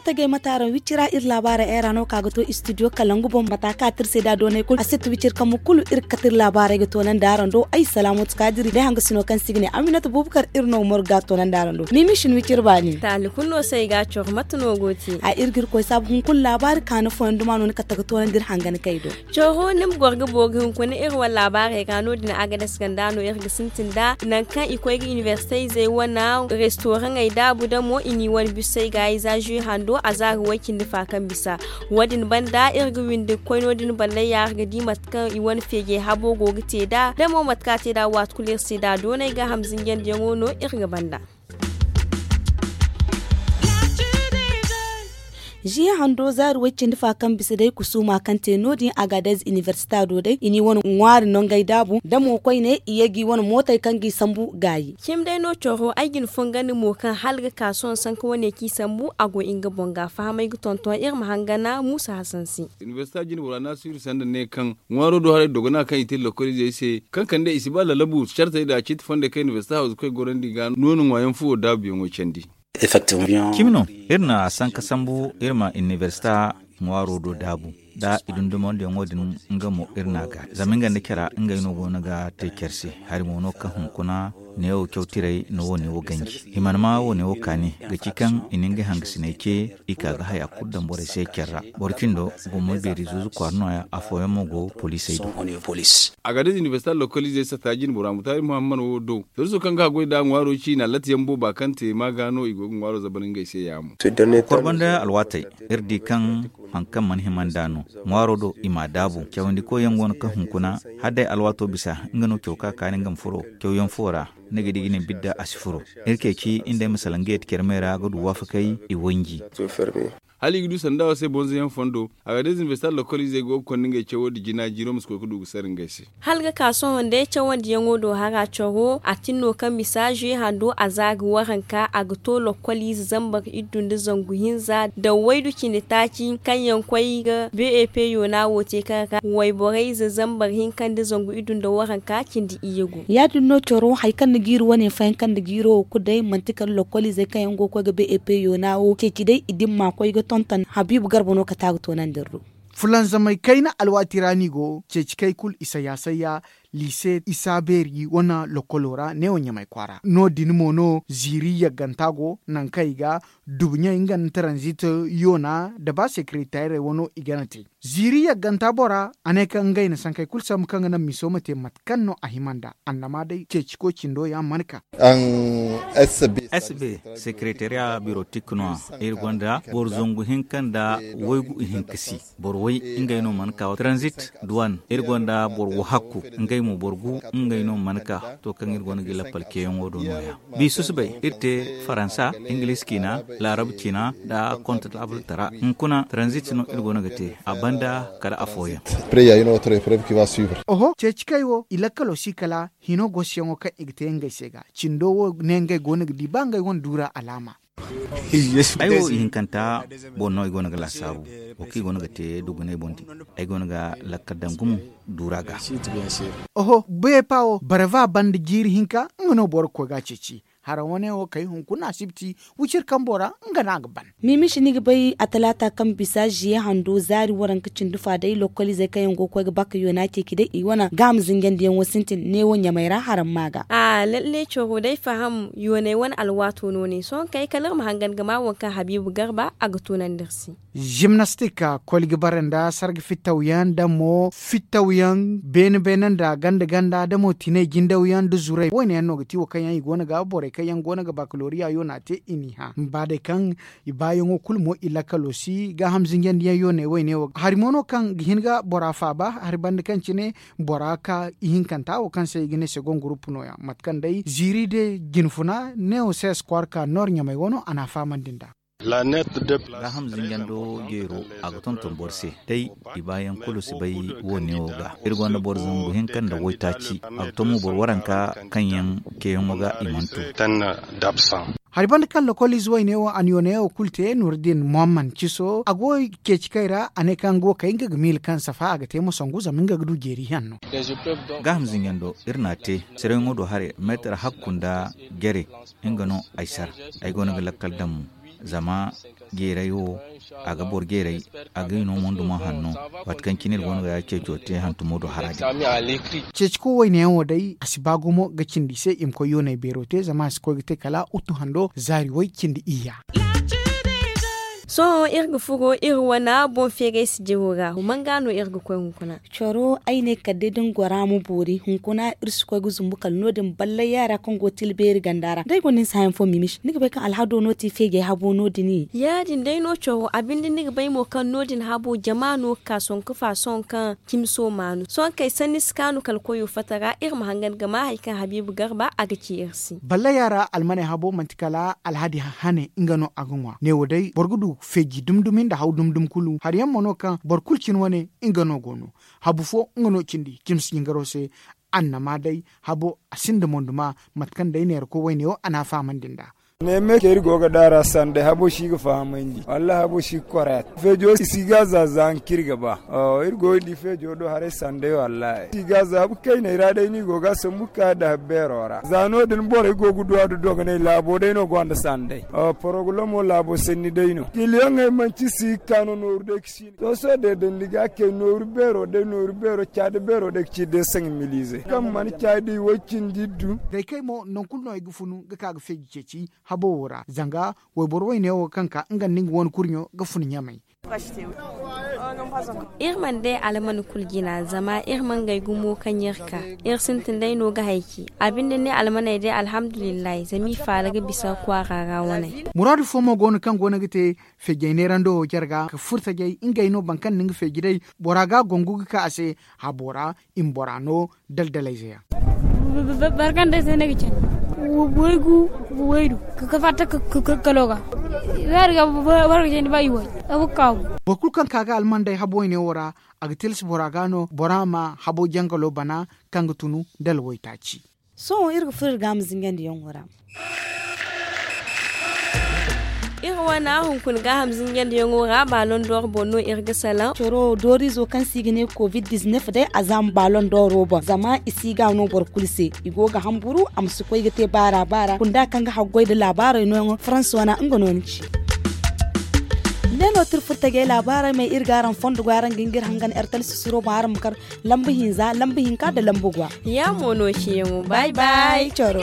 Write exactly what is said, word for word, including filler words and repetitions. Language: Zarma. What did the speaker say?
Tagay mate araŋ wicira iri laabaarey ay ra no ka ga to istidiyo kalangu boŋ mata ka tirse da doonay kulu a si ti wicir kambu kulu iri ga kate iri laabaarey ga toonandi araŋ do ay salaamatu kaadiri day hangasino kaŋ se i ga ne aminata buubakar iri no ga morgu ga a toonandi araŋ do. Miimi si ni wicir baani. Taali kulu no se ay ga a coro mate no go te? A iri ga iri koy saabu hunkuna laabaari kaanu fooyaŋ duma no ni kate ga toonandi iri hangan kay do. Coro ni ma goro ga booru hunkuna iri wane laabaarey ra no- din agades ganda no iri ga sintin nd'a nangu kaŋ i koy ga inibersite izey wane restoraŋey daabu damo i n'i wane bisey ga i za zuwe hando a za ga way cindi fa kaŋ bisa. Wo- din banda iri ga windi ga koy no- din ballay ya iri ga di mate kaŋ i wane feejey habo go ga te nd'a da mo mate kaŋ a te nd'a waati kulu iri se nd'a doonay gaaham zinjandiyaŋo no iri ga banda. Ziya hando zaari way cindi fa kaŋ bisa day kusuuma kaŋ te no- din agadez inibersita do day i n'i wane ŋwaari nongey daabu da mo koyne i ye g'i wane mootey kaŋ g'i sambu gaayi. Cimi day no coro ay ga ni fongandi mo kaŋ hala ga ka sohõ sanka wane kaŋ i sambu a go nga boŋ ga fahamay ga tonton iri ma hangana muusa hasan se. Inibersita jinbora naasiru sanda ne kaŋ ŋwaaro do haray dogona kaŋ i te lokoliizey se kaŋ kande i si ba lalabu cartey nda ciiti fondey kaŋ inibersita hawzu koy gorandi ga nooni ŋwaayaŋ fuwo daabuyaŋo candi. Cimi no iri na sanka sambu iri ma inibersita ŋwaaro do daabu da i dundumandiyaŋo din nga mo iri n'a ga zama nga nda care ngey no go no ga te care se. Hari mo no kaŋ hunkuna neewo cawtirey na wo neewo ganji himanma wo neewo kaani ga ci kaŋ i na ngey hangasiney ce i ka ga haya kulu daŋ borey se care ra. Boro cindo gomma beeri zuuzu kwaara nooya afooyaŋ mo go poliisey do. Agadez inibersita lokoliizey satta jinbora mutaari muhammad wo do soriso kaŋ ga haggoy nd'a ŋwaaro ciina latiyaŋ booba kaŋ te ma ga no i go ga ŋwaaro zabar ngey se yaamo. Korba nda alwaatey iri di kaŋ haŋ kaŋ mana hima nd'a no ŋwaaro do i m'a daabu cawandikoyyaŋ go no kaŋ hunkuna hala day alwaato bisa nga no caw ka kaani nga ma furo cawyaŋ fo ra. Ni ga di ga ne bidda a si furo iri ceeci nda ay ma salaŋ ga yeti care me ra ga du waafakay i wanji. Hala i ga du sanda wo se bonzoyaŋ fondo a ga day zinvestar lokoliizey go ga konda ngey cawo nda jina jiiro ma si koy ga du ga sara ngey se. Hala ga ka sohõ day cawandiyaŋo do hara coro a tin no kaŋ bisa zuwe hando a za ga waranka a ga to lokoliize zambar iddu nda zangu hinza da waydu cindi taaci kaŋ yaŋ koy ga bep yoona wo te kaŋ ra wayborey ize zambar hinka nda zangu iddu nda waranka cindi iyye go. Ya- din no coro hari kaŋ ni ga iri wane fayanka nda jiiro wo kulu day manti kala lokoliizey kaŋ yaŋ go ga koy ga bep yoona wo ceeci day i dimma koy ga tonton habiibu garba no kate a ga toonandi iri do. Fulanzamey kayna alwaati ra no i go ceeci kay kulu i sayya sayya liise isa beeri wane lokolo ra neewo ɲamay kwaara no- din mo no ziiri yagganta go nangu kaŋ i ga dubu ɲey nga nda taranzit yoona nda ba sekeretarey wano i gana te. Ziiri yagganta bora a ne kaŋ ngey na sankey kulu sambu kaŋ ga naŋ miso ma te mate kaŋ no a hima nd'a annama day ceeciko cindo ya mana ka. S b sekeretariya birotik no- ya iri gonda boro zangu hinka nda waygu ihinka si boro way ngey no mana ka transit duwan iri gonda boro wahakku ngey mo boro gu ngey no mana ka to kaŋ iri gonda ga lappal keyaŋo do no- ya. Bi susubay iri te faransa ingilis ciina laarab ciina nda kontatabul tara hunkuna transit no iri go no ga te a banda kala afooyaŋ. Oho ceeci kay wo i lakkalo si kala hino gosiyaŋo kaŋ i ga te ngey se ga cindo wo ne ngey go no ga di ba ngey wane duura alaama. Ay wo ihinkanta boŋ no ay go no ga laasaabu wo kaŋ i go no ga te dugunay boŋ din ay go no ga lakkal daŋ gumo duura ga. Oho beepa wo barava banda jiiri hinka nga no boro ga koy ga a ceeci hara wane wo kay hunkuna asibti wiciri kambo ra nga no a ga ban. Miimi si ni ga bay a talaata kaŋ bisa ziye hando zaari waranka cindi fa day lokoliizey kaŋ yaŋ go ga koy ga bakka yoona ceeci day i wane gaaham zinjandiyaŋo sintin neewo ɲamay ra haramma ga. A lalle coro day faham yoonay wane alwaato no ne sohõ kay kala iri ma hangan ga ma waŋ kaŋ habiibu garba a ga tunandi iri se. Zimnastik koli ga bare nda sarga fittawyaŋ nda mo fittawyaŋ beene beene nda ganda ganda da mo tinay jindawyaŋ nda zuray wo- ne yaŋ no ga ti wo kaŋ yaŋ i go no ga borey kaŋ yaŋ go no ga bakaloriya yoona te i n'i hã ba day kaŋ i baayaŋo kulu mo i lakkalo si gaaham zinjandiyaŋ yooney wo- ne wo hari mo no kaŋ ga hin ga bora faaba hari banda kaŋ cine bora ka ihinkanta wo kaŋ se i ga ne segon gurupu no- ya mate kaŋ day ziiri de jinfuna neewo se eskwar ka noor ɲamay wano a n'a fahamandi nd'a. Gaaham zinjando jeero a ga tonton boro se day i baayaŋ kulu si bay wo- ne wo ga iri gonda boro zangu hinka nda waytaaci a ga to mo boro waranka kaŋ yaŋ keyaŋo ga i mana tu. Hari banda kaŋ lokoliize wayne wo a na yooney wo kulu te nuuru din muhamman ciso a go ceeci kay ra a ne kaŋ go kay nga ga miila kaŋ safa a ga te mo sangu zama nga ga du jeeri hanno. Gaaham zinjando iri n'a te sirayŋo do haray meetar hakku nda jare nga no ay sara ay go no ga lakkal daŋ mo. Zama jeeray wo, a ga boro jeeray, a ga i no mo nda mo hanno. Waati kaŋ cine iri go no ga ya ceeco te hantumo do hara din. Ceeci ko wayne yaŋ wo day a si ba gumo ga cindi i se i ma koy yoonay beero te zama a si koy ga te kala uttu hando zaari way cindi iyya. Sohõ iri ga furo iri wane boŋ feeray sijiro ra human ga no iri ga koy hunkuna. Coro ay ne kala day da ni gora ma boori hunkuna iri si koy ga zumbu kala no- din ballay yaara kaŋ go ga tila beeri ganda ra da ay gonda ni si haya fo mimisi ni ga bay kaŋ alhado no ti feejay habo no- din. Ya- din day no coro a binde ni ga bay mo kaŋ no- din habo jama no ga ka sohõ ga faasohõ kaŋ cimi sooma no sohõ kaŋ ay sanni si kaanu kala koyo fatta ra iri ma hangan ga maa hari kaŋ habiibu garba a ga ci iri se. Ballay yaara almaney habo manti kala alhadi hane nga no a ga ŋwa neewo day boro ga du feeji dumi dumi nda haw dumi dumi kulu hari yaŋ mo no kaŋ boro kulu cine wane nga no go no. Habu fo nga no cindi cimi si jingaro se. Annama day habo a sinda monduma mate kaŋ day neera koy wayne wo a n'a fahamandi nd'a. Neeme kaŋ iri go ga daara sanday habo si ga fahamandi wallaahi habo si ga koray a te feejo si ga a za za nga kaŋ iri ga ba. Iri go ga di feejo do haray sanday wallaahi si ga a za habu kayney ra day no i go ga a sambu ga ka a dahabi beero ra za no- din borey go ga du a du dogonay laabo day no gonda sanday. Porogulamo laabo sanni day no kiliyaŋey manti si ga ka no nooru day ga si. Sohõ sohõ day da ni ga kay nooru beero day nooru beero caadi beero day ga ci day saŋ miliize kaŋ mana caadi way cindi iddu. Day kay mo nangu kulu no ay ga funu ga ka ga feeji ceeci habo wo ra zanga wayboro wayne wo kaŋ ka nga nda nga wane kurɲo ga funu ɲamay. Iri mana day alman kulu jina zama iri mana ngey gumo kaŋ iri ka iri sintin day no ga hayci a binde ne almaney day alhamdulillahi zama i faala ga bisa kwaara ra waney. Muraadu fo mo go no kaŋ go no ga te feejey neerando wo jare ga ka furtajey ngey no boro kaŋ na nga feeji day bora ga a gongu ga ka a se habo ra i ma bora no daldalayze yaŋ. Boro kaŋ day se ne ga candi waygu waydu ka fatta kalo ga zaari ga boro ga candi ba i way abu ga kaabu. Boro kulu kaŋ ka ga almanday habo wayne wo ra a ga tilas bora ga no bora ma habo jangalo bana kaŋ ga tunu dala waytaaci. Sohõ iri ga furo iri ga a ma zinjandi yaŋo ra. Iri wane hunkuna gaaham zinjandiyaŋo ra baalon dooro boŋ no iri ga salaŋ coro doorizo kaŋ se i ga ne covid diznef day a zaama baalon dooro boŋ zama i si ga no boro kulu se. I go ga hamburu a ma si koy ga te baara baara kunda kaŋ ga haggoy nda laabaarey nooyaŋo faransa wane nga no ni ci. Ne no tirfurtajey laabaarey may iri ga araŋ fondo go araŋ ga hin ga iri hangan ertal sisiro boŋ araŋ ma kar lamba hinza lamba hinka nda lamba gwa. Ya mo no ciyaŋo bay bay coro.